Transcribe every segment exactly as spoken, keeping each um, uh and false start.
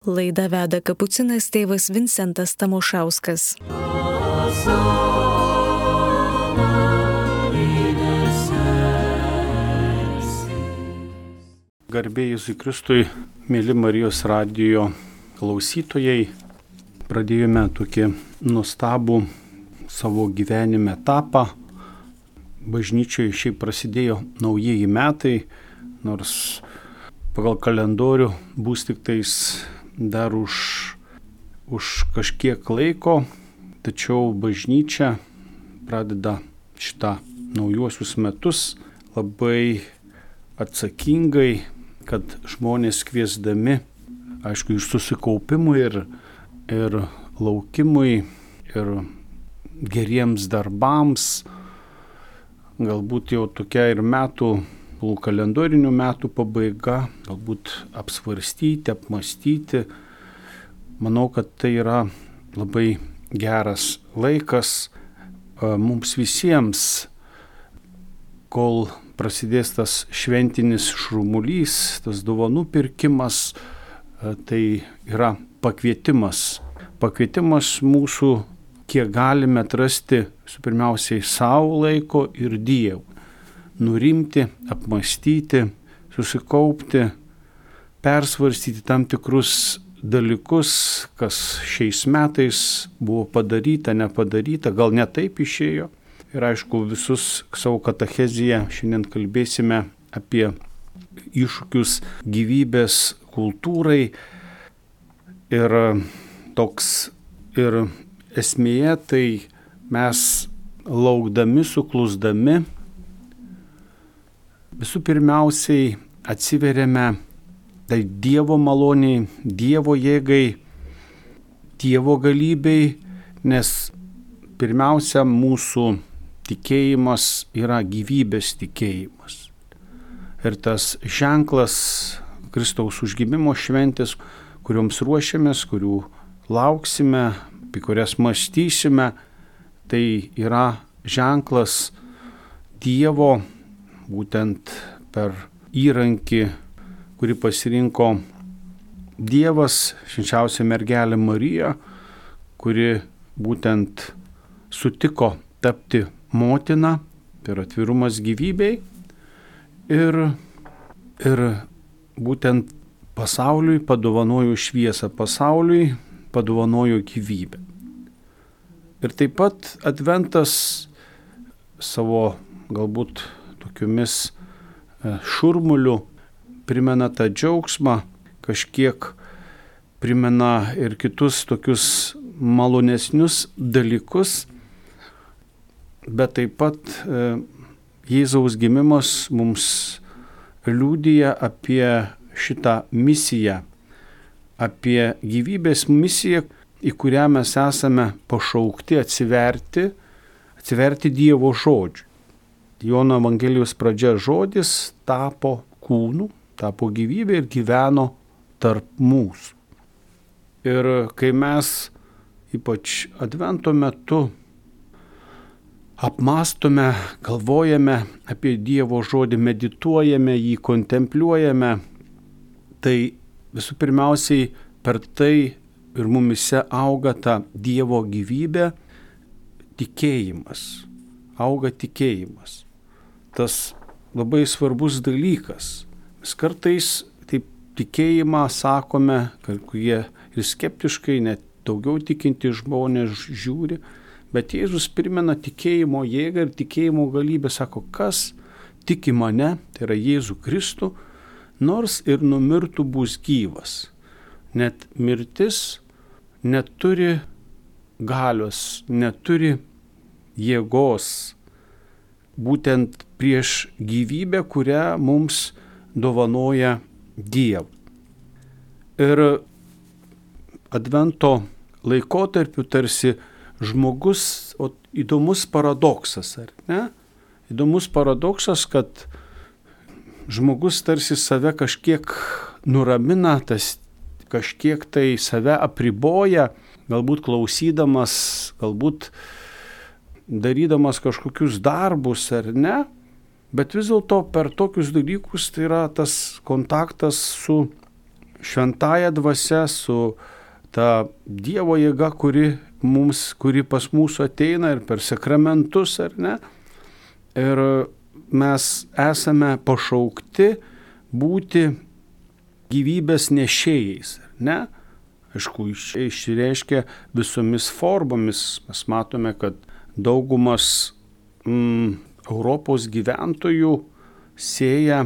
Laidą veda kapucinas tėvas Vincentas Tamošauskas. Garbė Jėzui Kristui, mėly Marijos radijo klausytojai, pradėjome tokį nuostabų savo gyvenime etapą. Bažnyčioje šiaip prasidėjo naujieji metai, nors pagal kalendorių bus tik tais dar už, už kažkiek laiko, tačiau bažnyčia pradeda šitą naujuosius metus labai atsakingai, kad žmonės kviesdami, aišku, ir susikaupimui, ir, ir laukimui, ir geriems darbams, galbūt jau tokia ir metų, kalendorinių metų pabaiga, galbūt apsvarstyti, apmastyti. Manau, kad tai yra labai geras laikas mums visiems, kol prasidės tas šventinis šurmulys, tas dovanų pirkimas, tai yra pakvietimas. Pakvietimas mūsų, kiek galime atrasti, su pirmiausiai savo laiko ir Dievui. Nurimti, apmastyti, susikaupti, persvarstyti tam tikrus dalykus, kas šiais metais buvo padaryta, nepadaryta, gal ne taip išėjo. Ir aišku, visus savo katecheziją šiandien kalbėsime apie iššūkius gyvybės kultūrai. Ir toks ir esmėje, tai mes laukdami, suklusdami, visų pirmiausiai atsiveriame tai Dievo maloniai, Dievo jėgai, Dievo galybei, nes pirmiausia mūsų tikėjimas yra gyvybės tikėjimas. Ir tas ženklas Kristaus užgimimo šventės, kurioms ruošiamės, kurių lauksime, apie kurias mąstysime, tai yra ženklas Dievo, būtent per įrankį, kurį pasirinko Dievas, švenčiausia mergelė Marija, kuri būtent sutiko tapti motina, per atvirumas gyvybei ir, ir būtent pasauliui padovanojo šviesą, pasauliui padovanojo gyvybę. Ir taip pat adventas savo galbūt tokiomis šurmuliu primena tą džiaugsmą, kažkiek primena ir kitus tokius malonesnius dalykus, bet taip pat e, Jėzaus gimimas mums liudija apie šitą misiją, apie gyvybės misiją, į kurią mes esame pašaukti atsiverti, atsiverti Dievo žodžiu. Jono Evangelijos pradžia žodis tapo kūnu, tapo gyvybė ir gyveno tarp mūsų. Ir kai mes, ypač advento metu, apmastome, galvojame apie Dievo žodį, medituojame jį, kontempliuojame, tai visų pirmiausiai per tai ir mumise auga ta Dievo gyvybė, tikėjimas, auga tikėjimas. Tas labai svarbus dalykas. Mes kartais taip tikėjimą sakome, kad kurie ir skeptiškai, net daugiau tikinti žmonės žiūri, bet Jėzus primena tikėjimo jėgą ir tikėjimo galybę, sako, kas tiki mane, tai yra Jėzų Kristų, nors ir numirtų bus gyvas. Net mirtis neturi galios, neturi jėgos, būtent prieš gyvybę, kurią mums dovanoja Dievas. Ir advento laikotarpiu tarsi žmogus, o įdomus paradoksas, ar ne? Įdomus paradoksas, kad žmogus tarsi save kažkiek nuramina, tas kažkiek tai save apriboja, galbūt klausydamas, galbūt darydamas kažkokius darbus ar ne, bet vis dėlto per tokius dalykus tai yra tas kontaktas su šventąja dvasia, su ta Dievo jėga, kuri, mums, kuri pas mūsų ateina ir per sakramentus, ar ne? Ir mes esame pašaukti būti gyvybės nešėjais, ar ne? Aišku, išreiškia visomis formomis. Mes matome, kad daugumas mm, Europos gyventojų sėja,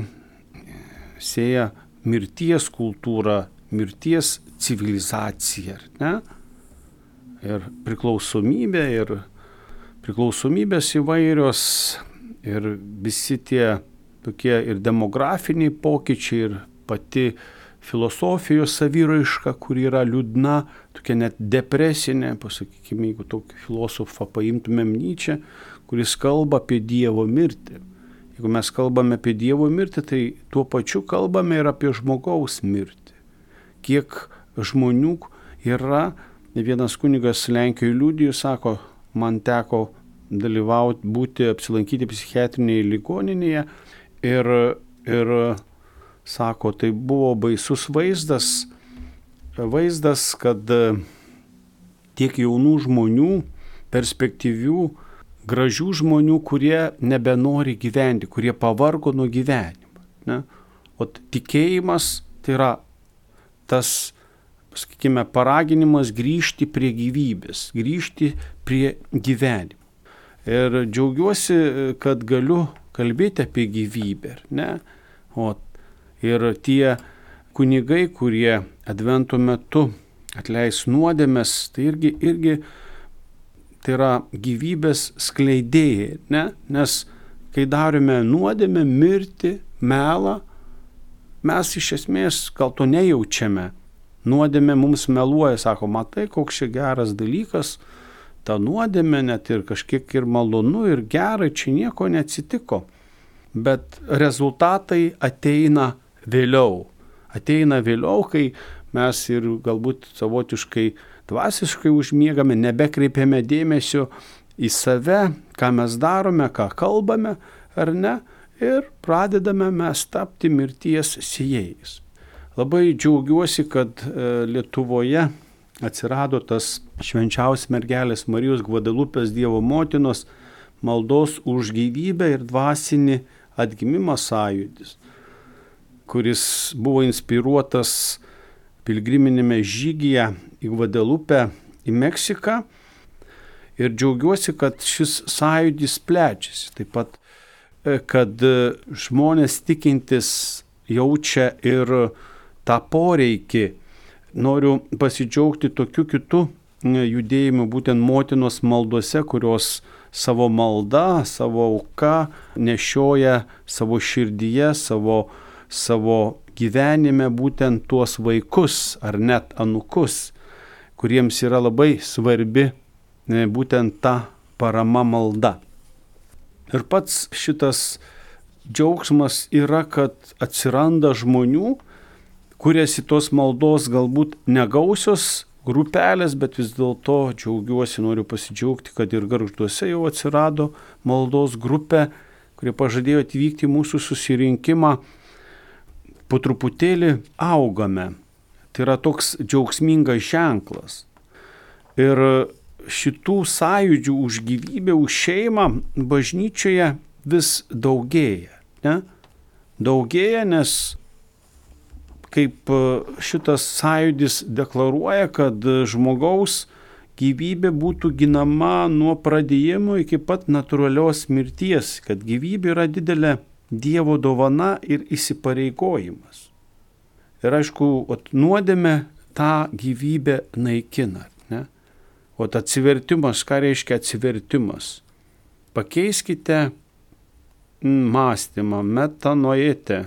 sėja mirties kultūrą, mirties civilizaciją, ar ne? Ir priklausomybė, ir priklausomybės įvairios, ir visi tie tokie ir demografiniai pokyčiai, ir pati filosofijos saviraiška, kuri yra liūdna, tokia net depresinė, pasakykime, jeigu tokį filosofą paimtumėm Nyčę, kuris kalba apie Dievo mirtį. Jeigu mes kalbame apie Dievo mirtį, tai tuo pačiu kalbame ir apie žmogaus mirtį. Kiek žmonių yra, vienas kunigas Lenkijoje liudijo, sako, man teko dalyvauti, būti, apsilankyti psichiatrinėje ligoninėje ir, ir sako, tai buvo baisus vaizdas, vaizdas, kad tiek jaunų žmonių, perspektyvių, gražių žmonių, kurie nebenori gyventi, kurie pavargo nuo gyvenimo. Ne? O tikėjimas tai yra tas, sakykime, paraginimas grįžti prie gyvybės, grįžti prie gyvenimo. Ir džiaugiuosi, kad galiu kalbėti apie gyvybę. Ne? O ir tie kunigai, kurie advento metu atleis nuodėmes, tai irgi, irgi tai yra gyvybės skleidėjai, ne? Nes kai darome nuodėmę, mirtį, melą, mes iš esmės gal to nejaučiame. Nuodėmė mums meluoja, sako, matai, koks čia geras dalykas, ta nuodėmė net ir kažkiek ir malonu, ir gerai, čia nieko neatsitiko. Bet rezultatai ateina vėliau. Ateina vėliau, kai mes ir galbūt savotiškai dvasiškai užmiegame, nebekreipiame dėmesio į save, ką mes darome, ką kalbame, ar ne, ir pradedame mes tapti mirties sėjėjais. Labai džiaugiuosi, kad Lietuvoje atsirado tas švenčiausios mergelės Marijos Gvadelupės Dievo motinos maldos už gyvybę ir dvasinį atgimimą sąjūdis, kuris buvo inspiruotas pilgriminėme žygyje į Gvadelupę, į Meksiką. Ir džiaugiuosi, kad šis sąjūdis plečiasi. Taip pat, kad žmonės tikintis jaučia ir tą poreikį. Noriu pasidžiaugti tokiu kitu judėjimu, būtent motinos maldose, kurios savo malda, savo auka nešioja savo širdyje, savo savo gyvenime būtent tuos vaikus ar net anūkus, kuriems yra labai svarbi būtent ta parama malda. Ir pats šitas džiaugsmas yra, kad atsiranda žmonių, kuriasi tos maldos galbūt negausios grupelės, bet vis dėlto džiaugiuosi, noriu pasidžiaugti, kad ir Gargžduose jau atsirado maldos grupė, kurie pažadėjo atvykti į mūsų susirinkimą. Po truputėlį augame. Tai yra toks džiaugsmingas ženklas. Ir šitų sąjūdžių už gyvybę, už šeimą bažnyčioje vis daugėja. Ne? Daugėja, nes kaip šitas sąjūdis deklaruoja, kad žmogaus gyvybė būtų ginama nuo pradėjimo iki pat natūralios mirties, kad gyvybė yra didelė Dievo dovana ir įsipareigojimas. Ir aišku, nuodėmė tą gyvybę naikina. Ne? O atsivertimas, ką reiškia atsivertimas? Pakeiskite mąstymą, metanoite,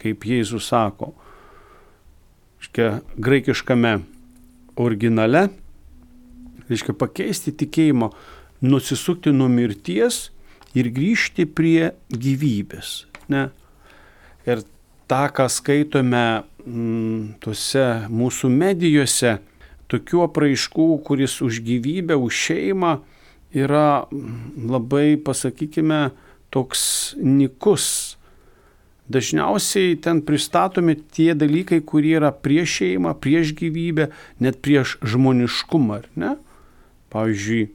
kaip Jėzus sako. Reiškia, graikiškame originale, reiškia pakeisti tikėjimo, nusisukti nuo mirties ir grįžti prie gyvybės. Ne? Ir tą, ką skaitome m, tuose mūsų medijose, tokių apraiškų, kuris už gyvybę, už šeimą yra labai, pasakykime, toks nykus. dažniausiai ten pristatomi tie dalykai, kurie yra prieš šeimą, prieš gyvybę, net prieš žmoniškumą, ar ne? Pavyzdžiui,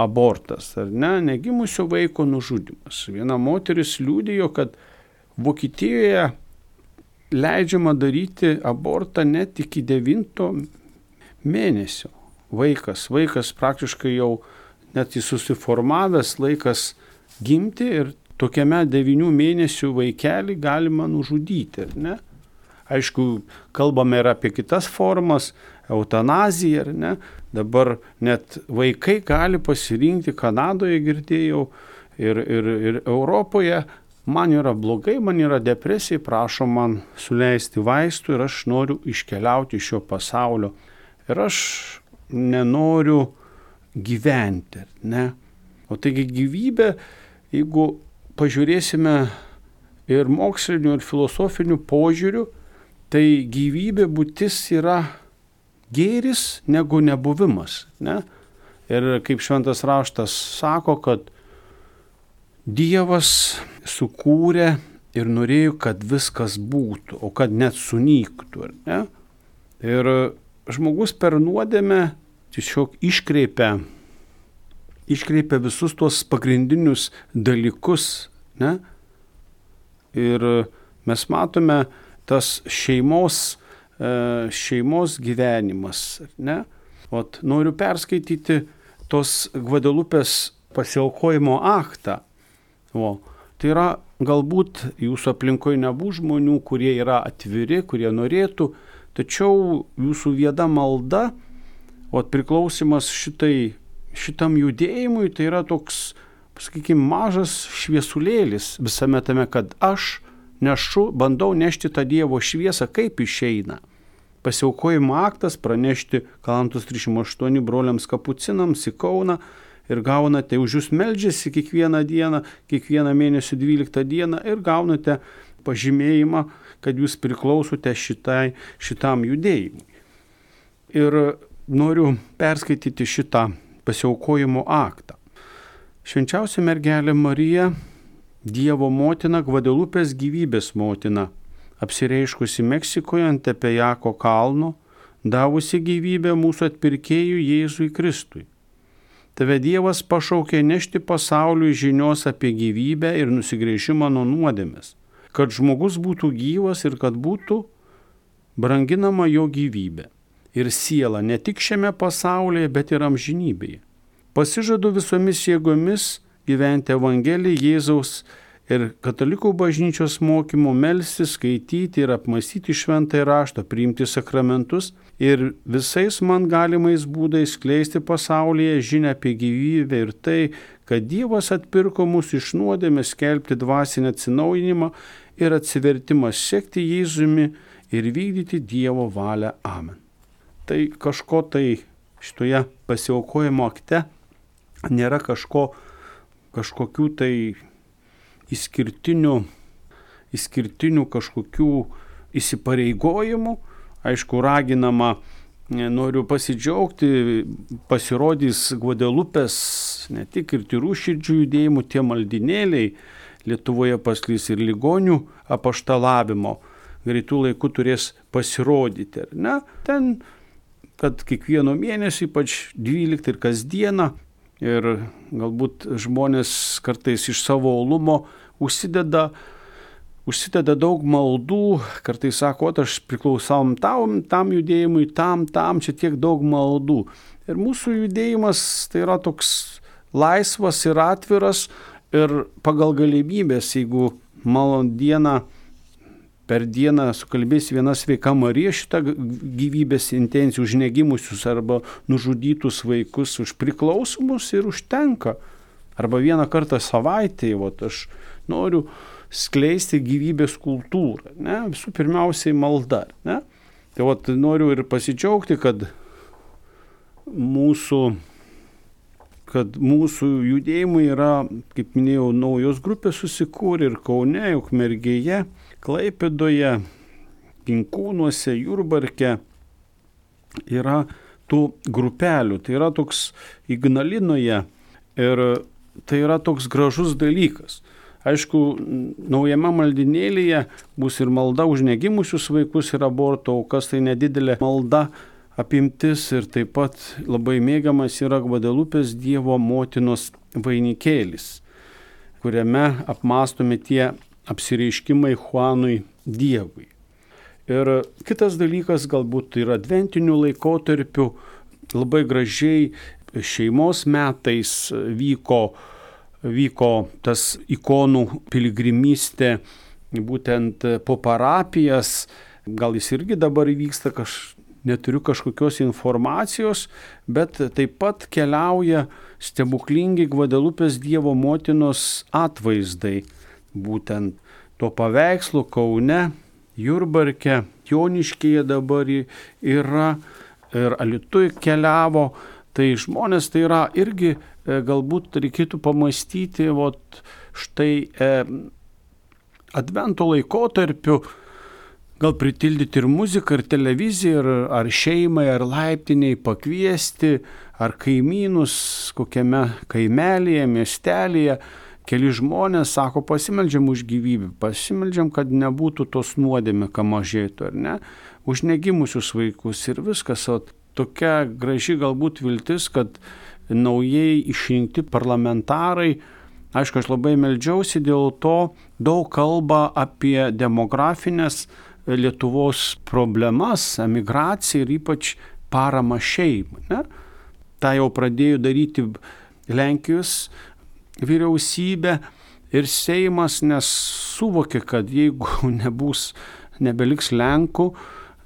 abortas, ar ne? Negimusio vaiko nužudymas. Viena moteris liudijo, kad Vokietijoje leidžiama daryti abortą net iki devinto mėnesio. Vaikas, vaikas praktiškai jau net jis susiformavęs, laikas gimti ir tokiame devynių mėnesių vaikelį galima nužudyti, ar ne? Aišku, kalbame ir apie kitas formas, eutanaziją, ar ne? Dabar net vaikai gali pasirinkti, Kanadoje girdėjau ir, ir, ir Europoje, man yra blogai, man yra depresija, prašo man suleisti vaistų ir aš noriu iškeliauti iš šio pasaulio. Ir aš nenoriu gyventi, ne? O taigi gyvybė, jeigu pažiūrėsime ir mokslinių, ir filosofinių požiūrių, tai gyvybė būtis yra gėris negu nebuvimas, ne? Ir kaip šventas raštas sako, kad Dievas sukūrė ir norėjo, kad viskas būtų, o kad net sunyktų, ar ne? Ir žmogus per nuodėmę tiesiog iškreipia, iškreipia visus tuos pagrindinius dalykus, ne? Ir mes matome tas šeimos, šeimos gyvenimas, ne? Ot, noriu perskaityti tos Gvadelupės pasiaukojimo aktą. O, tai yra, galbūt jūsų aplinkoje nebus žmonių, kurie yra atviri, kurie norėtų, tačiau jūsų vieda malda, o priklausimas šitai, šitam judėjimui, tai yra toks, sakykime, mažas šviesulėlis visame tame, kad aš nešu, bandau nešti tą Dievo šviesą, kaip išeina. Pasiaukojimo aktas pranešti Kalantos trisdešimt aštuoni broliams kapucinams į Kauną, ir gaunate, už jūs meldžiasi kiekvieną dieną, kiekvieną mėnesį dvyliktą dieną ir gaunate pažymėjimą, kad jūs priklausote šitai, šitam judėjimui. Ir noriu perskaityti šitą pasiaukojimo aktą. Švenčiausia mergelė Marija, Dievo motina, Gvadelupės gyvybės motina, apsireiškusi Meksikoje ant Tepejako kalno, davusi gyvybę mūsų atpirkėjui Jėzui Kristui. Tave Dievas pašaukė nešti pasauliui žinios apie gyvybę ir nusigręžimą nuo nuodėmės, kad žmogus būtų gyvas ir kad būtų branginama jo gyvybė ir siela ne tik šiame pasaulyje, bet ir amžinybėje. Pasižadu visomis jėgomis gyventi Evangeliją Jėzaus ir katalikų bažnyčios mokymu, melstis, skaityti ir apmąstyti šventąjį raštą, priimti sakramentus ir visais man galimais būdais skleisti pasaulyje žinią apie gyvybę ir tai, kad Dievas atpirko mus iš nuodėmės, skelbti dvasinį atsinaujinimą ir atsivertimą, sekti Jėzumi ir vykdyti Dievo valią. Amen. Tai kažko tai šitoje pasiaukojimo akte nėra kažko, kažkokių tai Įskirtinių, įskirtinių kažkokių įsipareigojimų. Aišku, raginama, noriu pasidžiaugti, pasirodys Gvadelupės ne tik ir tyrų širdžių judėjimų, tie maldinėliai Lietuvoje pasklis ir ligonių apaštalavimo. Greitų laikų turės pasirodyti, ar ne? Ten, kad kiekvieno mėnesio, ypač dvyliktą ir kasdieną, ir galbūt žmonės kartais iš savo uolumo užsideda, užsideda daug maldų, kartais sako, o aš priklausau tam, tam judėjimui, tam, tam, čia tiek daug maldų. Ir mūsų judėjimas tai yra toks laisvas ir atviras ir pagal galimybės, jeigu malon dieną, per dieną sukalbės viena sveika Marija šitą gyvybės intenciją už negimusius arba nužudytus vaikus, už priklausomus ir užtenka. Arba vieną kartą savaitėje, vat, aš noriu skleisti gyvybės kultūrą, ne? Visų pirmiausiai malda, ne? Tai vat, noriu ir pasidžiaugti, kad mūsų, kad mūsų judėjimai yra, kaip minėjau, naujos grupės susikūrė ir Kaune, Ukmergėje, Klaipėdoje, Ginkūnuose, Jurbarke yra tų grupelių. Tai yra toks Ignalinoje ir tai yra toks gražus dalykas. Aišku, naujame maldinėlyje bus ir malda už negimusius vaikus ir aborto aukas, tai nedidelė malda apimtis ir taip pat labai mėgiamas yra Gvadelupės Dievo motinos vainikėlis, kuriame apmąstomi tie apsireiškimai Juanui Dievui. Ir kitas dalykas galbūt yra adventinių laikotarpių, labai gražiai šeimos metais vyko, vyko tas ikonų piligrimystė būtent po parapijas, gal jis irgi dabar vyksta, kaž, neturiu kažkokios informacijos, bet taip pat keliauja stebuklingi Gvadelupės Dievo motinos atvaizdai, būtent to paveikslo Kaune, Jurbarke, Joniškyje dabar yra ir Alytuj keliavo, tai žmonės tai yra irgi e, galbūt reikėtų pamastyti, vot štai e, advento laikotarpiu, gal pritildyti ir muziką, ir televiziją, ir, ar šeimai, ar laiptiniai pakviesti, ar kaimynus kokiame kaimelėje, miestelėje. Keli žmonės sako, pasimeldžiam už gyvybę, pasimeldžiam, kad nebūtų tos nuodėmė, ką mažėtų, ar ne, už negimusius vaikus ir viskas. O tokia graži galbūt viltis, kad naujai išrinkti parlamentarai, aišku, aš labai meldžiausi dėl to, daug kalba apie demografinės Lietuvos problemas, emigraciją ir ypač paramą šeimai. Ne? Ta jau pradėjo daryti Lenkijos vyriausybė ir Seimas, nes suvokė, kad jeigu nebus, nebeliks Lenkų,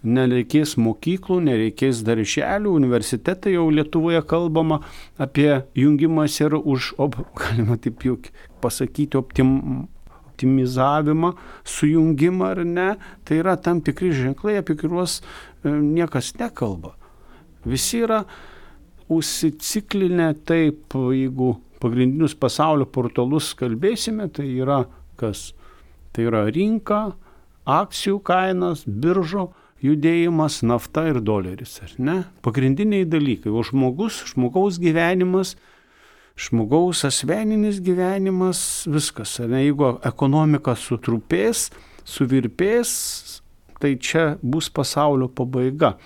nereikės mokyklų, nereikės darželių, universitetai jau Lietuvoje kalbama apie jungimas ir už, op, galima taip jau pasakyti, optim, optimizavimą, sujungimą ar ne, tai yra tam tikri ženklai, apie kuriuos niekas nekalba. Visi yra užsiciklinę taip, jeigu pagrindinius pasaulio portalus kalbėsime, tai yra kas? Tai yra rinka, akcijų kainos, biržo judėjimas, nafta ir doleris, ar ne? Pagrindiniai dalykai. O žmogus, žmogaus gyvenimas, žmogaus asmeninis gyvenimas, viskas. Ar ne? Jeigu ekonomika sutrupės, suvirpės, tai čia bus pasaulio pabaiga.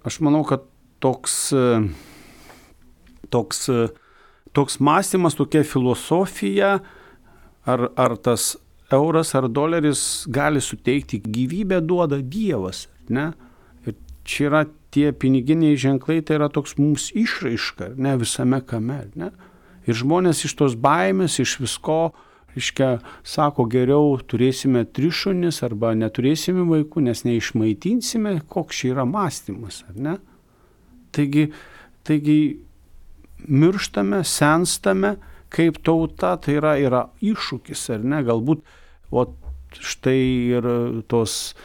Aš manau, kad toks, toks Toks mąstymas, tokia filosofija, ar, ar tas euras ar doleris gali suteikti gyvybę, duoda Dievas, ne? Ir čia yra tie piniginiai ženklai, tai yra toks mums išraiška, ne, visame kame, ne? Ir žmonės iš tos baimės, iš visko, reiškia, sako, geriau turėsime tris šunis arba neturėsime vaikų, nes neišmaitinsime, koks čia yra mąstymas, ar ne? Taigi, taigi, mirštame, senstame, kaip tauta, tai yra, yra iššūkis, ar ne, galbūt, o štai ir tos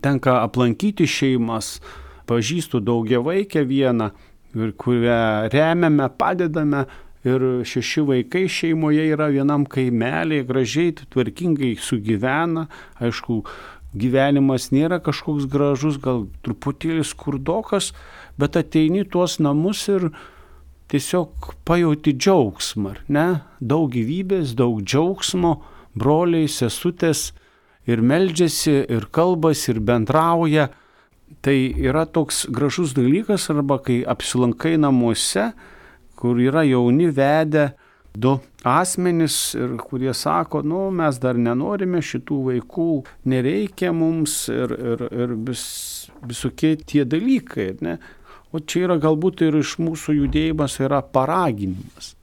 tenka aplankyti šeimas, pažįstu daugiavaikę vieną, kurią remiame, padedame ir šeši vaikai šeimoje yra vienam kaimelėje, gražiai, tvarkingai sugyvena, aišku, gyvenimas nėra kažkoks gražus, gal truputėlį skurdokas, bet ateini tuos namus ir tiesiog pajauti džiaugsmą, ne? Daug gyvybės, daug džiaugsmo, broliai, sesutės ir meldžiasi, ir kalbas, ir bendrauja. Tai yra toks gražus dalykas, arba kai apsilankai namuose, kur yra jauni vedę du asmenys, ir kurie sako, nu, mes dar nenorime šitų vaikų, nereikia mums ir, ir, ir vis, visokie tie dalykai, ne? O čia yra galbūt ir iš mūsų judėjimas yra paraginimas.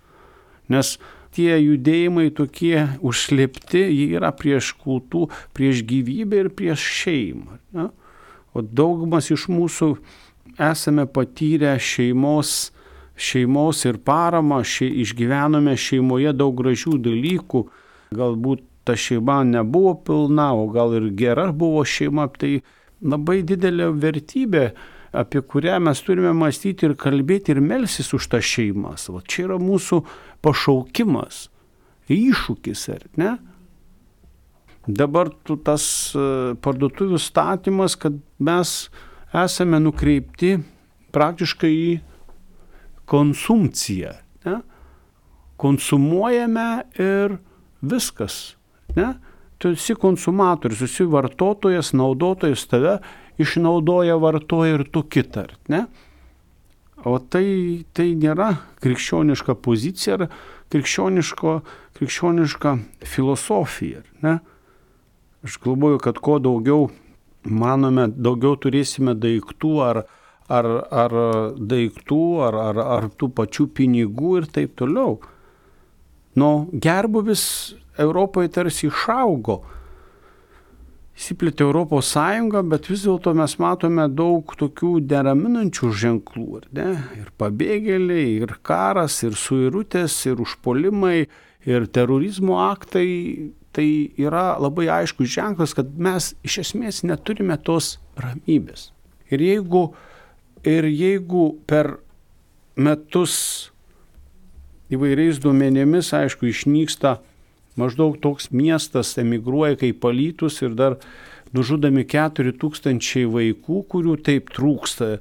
Nes tie judėjimai tokie užslėpti, jie yra prieš kultų, prieš gyvybę ir prieš šeimą. Ne? O daugumas iš mūsų esame patyrę šeimos, šeimos ir paramą, še, išgyvenome šeimoje daug gražių dalykų. Galbūt ta šeima nebuvo pilna, o gal ir gera buvo šeima. Tai labai didelė vertybė, apie kurią mes turime mąstyti ir kalbėti ir melsis už tą šeimas. O čia yra mūsų pašaukimas, iššūkis, ar ne? Dabar tas parduotuvių statymas, kad mes esame nukreipti praktiškai į konsumciją. Ne? Konsumuojame ir Viskas. Ne? Tu esi konsumatorius, esi vartotojas, naudotojas, tave išnaudoja, vartoja ir tu kitą. Ne? O tai, tai nėra krikščioniška pozicija ar krikščioniška filosofija. Ne? Aš galvoju, kad kuo daugiau manome, daugiau turėsime daiktų ar, ar, ar daiktų, ar, ar, ar tų pačių pinigų ir taip toliau. Nu, gerbuvis Europoje tarsi išaugo. Įsiplėtė Europos Sąjunga, bet vis dėlto mes matome daug tokių neraminančių ženklų. Ne? Ir pabėgėliai, ir karas, ir suirutės, ir užpuolimai, ir terorizmo aktai. Tai yra labai aiškus ženklas, kad mes iš esmės neturime tos ramybės. Ir jeigu, ir jeigu per metus įvairiais duomenimis, aišku, išnyksta maždaug toks miestas, emigruoja kaip Alytus ir dar nužudami keturi tūkstančiai vaikų, kurių taip trūksta,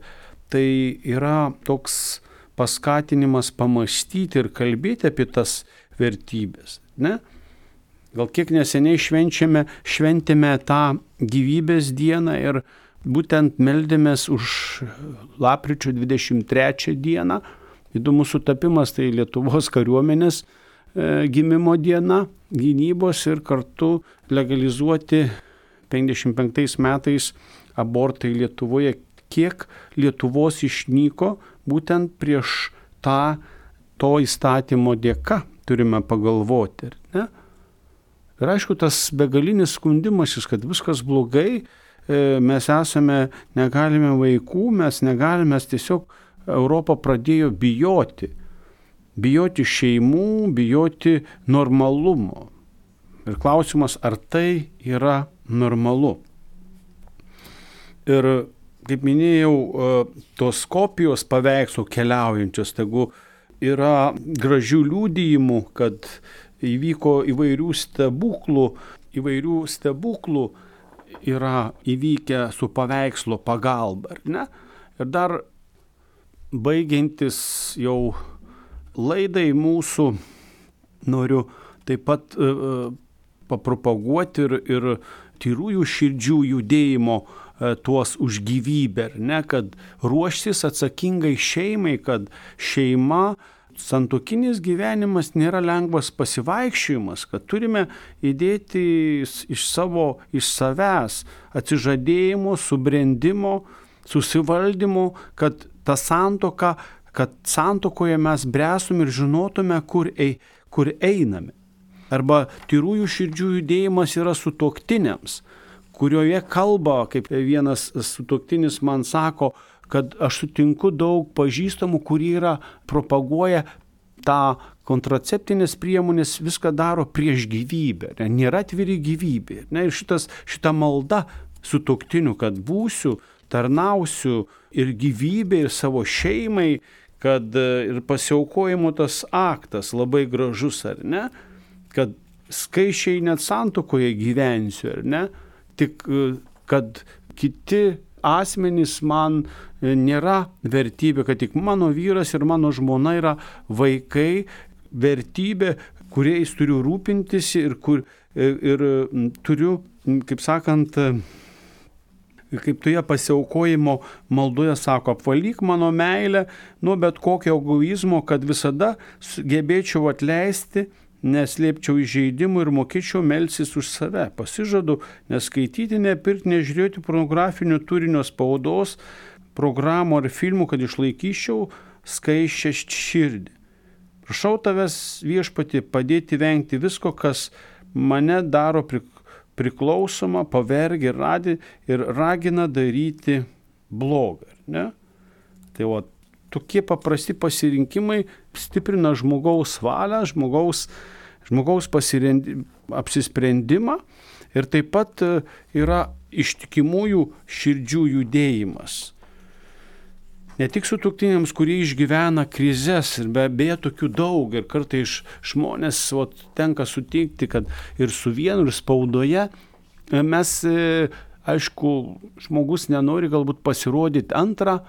tai yra toks paskatinimas pamąstyti ir kalbėti apie tas vertybės. Ne? Gal kiek neseniai švenčiame, šventėme tą gyvybės dieną ir būtent meldėmės už lapkričio dvidešimt trečią dieną. Įdomus sutapimas, tai Lietuvos kariuomenės e, gimimo diena, gynybos ir kartu legalizuoti penkiasdešimt penktais metais abortai Lietuvoje. Kiek Lietuvos išnyko būtent prieš tą to įstatymo dėka, turime pagalvoti. Ne? Ir aišku, tas begalinis skundimasis, kad viskas blogai, mes esame, negalime vaikų, mes negalime, mes tiesiog Europą pradėjo bijoti. Bijoti šeimų, bijoti normalumo. Ir klausimas, ar tai yra normalu. Ir, kaip minėjau, tos kopijos paveikslų keliaujančios, tegu yra gražių liudijimų, kad įvyko įvairių stebuklų, įvairių stebuklų yra įvykę su paveikslo pagalba, ar ne? Ir dar baigiantis jau laidai mūsų, noriu taip pat uh, papropaguoti ir, ir tyrųjų širdžių judėjimo uh, tuos už gyvybę, ar ne? Kad ruoštis atsakingai šeimai, kad šeima, santuokinis gyvenimas nėra lengvas pasivaikščiojimas, kad turime įdėti iš savo, iš savęs atsižadėjimo, subrendimo, susivaldymo, kad ta santuoka, kad santuokoje mes bręstum ir žinotume, kur, ei, kur einame. Arba tyrųjų širdžių judėjimas yra sutuoktiniams, kurioje kalba, kaip vienas sutuoktinis man sako, kad aš sutinku daug pažįstamų, kurie yra propaguoja tą kontraceptinės priemonės, viską daro prieš gyvybę, ne, nėra atviri gyvybė. Ne, ir šitas, šita malda sutuoktinių, kad būsiu, tarnausiu ir gyvybė, ir savo šeimai, kad ir pasiaukojimo tas aktas labai gražus, ar ne, kad skaičiai net santuokoje gyvensiu, ar ne, tik kad kiti asmenys man nėra vertybė, kad tik mano vyras ir mano žmona yra vaikai, vertybė, kuriais turiu rūpintis ir, kur, ir, ir turiu, kaip sakant, kaip toje pasiaukojimo maldoje sako, apvalyk mano meilę nuo bet kokio egoizmo, kad visada gebėčiau atleisti, neslėpčiau įžeidimų ir mokėčiau melstis už save. Pasižadu neskaityti, nepirkti, nežiūrėti pornografinio turinio spaudos, programų ar filmų, kad išlaikyčiau skaisčią širdį. Prašau tavęs, viešpatie, padėti vengti visko, kas mane daro priklausomą, pavergia ir, ir ragina daryti blogą. Ne? Tai o tokie paprasti pasirinkimai stiprina žmogaus valią, žmogaus, žmogaus apsisprendimą ir taip pat yra ištikimųjų širdžių judėjimas. Ne tik sutuoktiniams, kurie išgyvena krizes, ir be abejo tokių daug, ir kartais žmonės o, tenka sutikti, kad ir su vienu, ir spaudoje mes, aišku, žmogus nenori galbūt pasirodyti antrą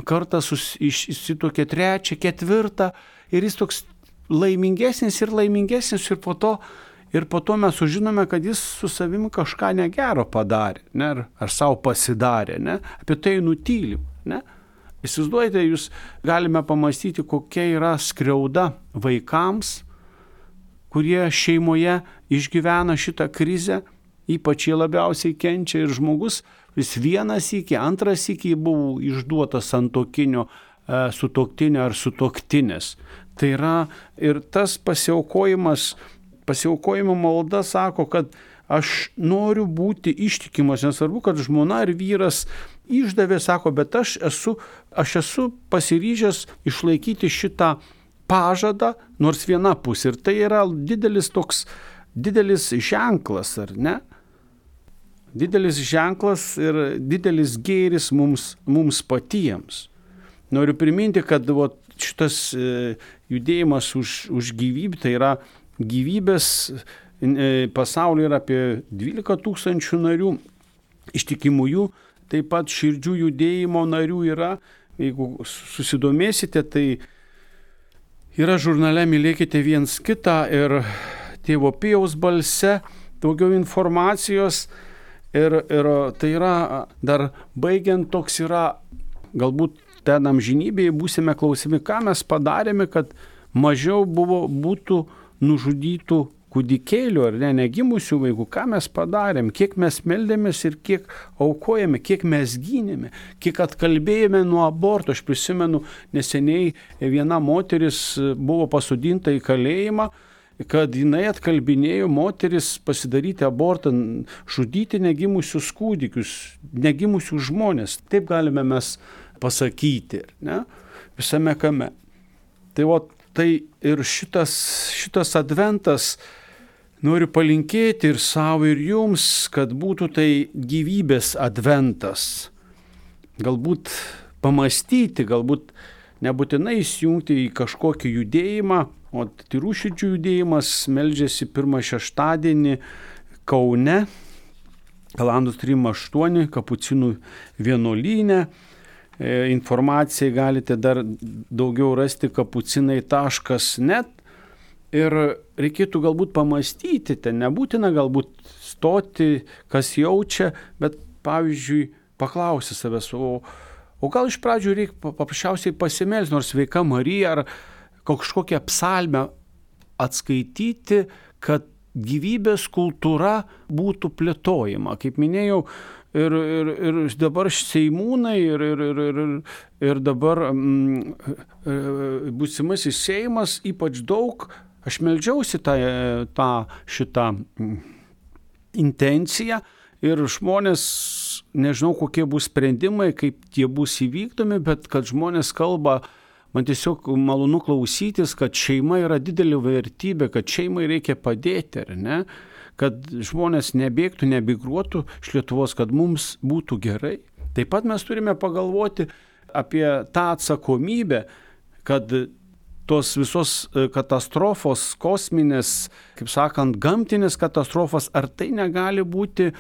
kartą išsituokė trečią, ketvirtą ir jis toks laimingesnis ir laimingesnis ir po to ir po to mes sužinome, kad jis su savimi kažką negero padarė, ne, ar, ar savo pasidarė, ne, apie tai nutylim, ne. Įsivaizduojate, jūs galime pamastyti, kokia yra skriauda vaikams, kurie šeimoje išgyvena šitą krizę, ypač jie labiausiai kenčia ir žmogus, vis vienas iki, antras iki buvo išduotas santuokinio e, sutuoktinio ar sutuoktinės. Tai yra ir tas pasiaukojimas, pasiaukojimo malda sako, kad aš noriu būti ištikimas, nesvarbu, kad žmona ar vyras išdavė, sako, bet aš esu, aš esu pasiryžęs išlaikyti šitą pažadą, nors viena pusė. Ir tai yra didelis toks, didelis ženklas, ar ne? Didelis ženklas ir didelis gėris mums, mums patiems. Noriu priminti, kad vat, šitas e, judėjimas už, už gyvybę, tai yra gyvybės e, pasaulyje yra apie dvylika tūkstančių narių, ištikimųjų, taip pat širdžių judėjimo narių yra. Jeigu susidomėsite, tai yra žurnale Mylėkite viens kitą ir Tėvo Pijaus balse daugiau informacijos. Ir, ir tai yra, dar baigiant, toks yra, galbūt ten amžinybėje būsime klausimi, ką mes padarėme, kad mažiau buvo, būtų nužudytų kūdikėlių ar ne, negimusių vaikų, ką mes padarėm, kiek mes meldėmės ir kiek aukojame, kiek mes gynėme, kiek atkalbėjome nuo aborto. Aš prisimenu, neseniai viena moteris buvo pasodinta į kalėjimą, kad jinai atkalbinėjo moteris pasidaryti abortą, žudyti negimusius kūdikius, negimusius žmonės. Taip galime mes pasakyti, ne? Visame kame. Tai, o, tai ir šitas, šitas adventas noriu palinkėti ir savo, ir jums, kad būtų tai gyvybės adventas. Galbūt pamastyti, galbūt nebūtinai įsijungti į kažkokį judėjimą, o Tyrų širdžių judėjimas meldžiasi pirmą šeštadienį Kaune, Kalandos trim aštuoni, Kapucinų vienuolyne. E, informaciją galite dar daugiau rasti kapucinai taškas net. Ir reikėtų galbūt pamastyti, ten nebūtina galbūt stoti, kas jaučia, bet pavyzdžiui paklausti savęs, o, o gal iš pradžių reikia paprasčiausiai pasimelsti, nors Sveika Marija ar kažkokią psalmę atskaityti, kad gyvybės kultūra būtų plėtojama. Kaip minėjau, ir, ir, ir dabar seimūnai, ir, ir, ir, ir, ir dabar mm, būsimasis Seimas ypač daug, aš meldžiausi tą, tą šitą intenciją ir žmonės, nežinau kokie bus sprendimai, kaip tie bus įvykdomi, bet kad žmonės kalba, man tiesiog malonu klausytis, kad šeima yra didelė vertybė, kad šeimai reikia padėti, ar ne? Kad žmonės nebėgtų, nebigruotų iš Lietuvos, kad mums būtų gerai. Taip pat mes turime pagalvoti apie tą atsakomybę, kad tos visos katastrofos, kosminės, kaip sakant, gamtinės katastrofos, ar tai negali būti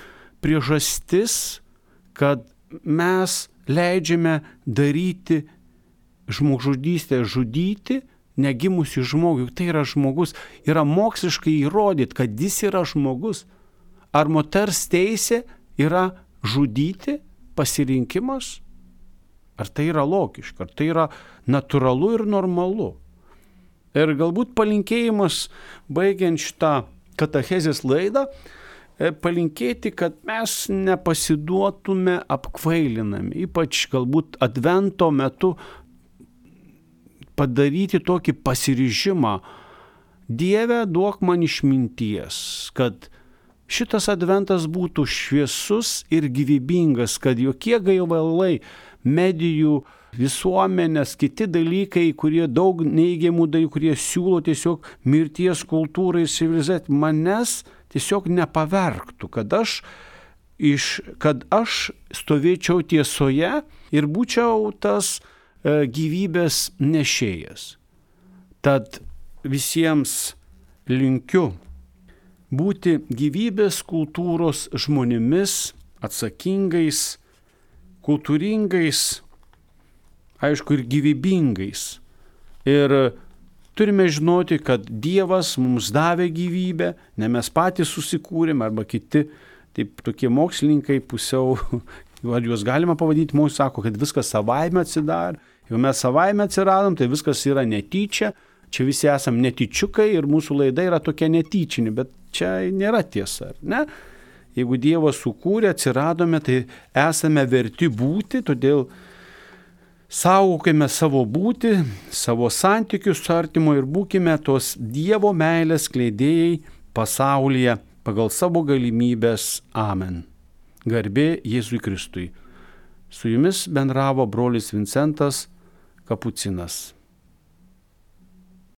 priežastis, kad mes leidžiame daryti žmogžudystę, žudyti negimusi žmogų. Tai yra žmogus. Yra moksliškai įrodyt, kad jis yra žmogus. Ar moters teisė yra žudyti pasirinkimas? Ar tai yra logiška? Ar tai yra natūralu ir normalu? Ir galbūt palinkėjimas, baigiant šitą katechezės laidą, palinkėti, kad mes nepasiduotume apkvailinami. Ypač galbūt advento metu padaryti tokį pasiryžimą. Dieve, duok man išminties, kad šitas adventas būtų šviesus ir gyvybingas, kad jokie gaivalai, medijų, visuomenės, kiti dalykai, kurie daug neigiamų dalykų, kurie siūlo tiesiog mirties kultūrai ir civilizacijai, manęs tiesiog nepavergtų, kad aš, iš, kad aš stovėčiau tiesoje ir būčiau tas gyvybės nešėjas. Tad visiems linkiu būti gyvybės kultūros žmonėmis, atsakingais, kultūringais, aišku, ir gyvybingais. Ir turime žinoti, kad Dievas mums davė gyvybę, ne mes patys susikūrėm, arba kiti, taip tokie mokslininkai pusiau, ar juos galima pavadinti, mums sako, kad viskas savaime atsidarė. Jeigu mes savaime atsiradom, tai viskas yra netyčia, čia visi esam netyčiukai ir mūsų laida yra tokia netyčinė, bet čia nėra tiesa, ar ne? Jeigu Dievas sukūrė, atsiradome, tai esame verti būti, todėl saugokime savo būtį, savo santykius su artimu ir būkime tos Dievo meilės skleidėjai pasaulyje pagal savo galimybės. Amen. Garbė Jėzui Kristui. Su jumis bendravo brolis Vincentas Kapucinas.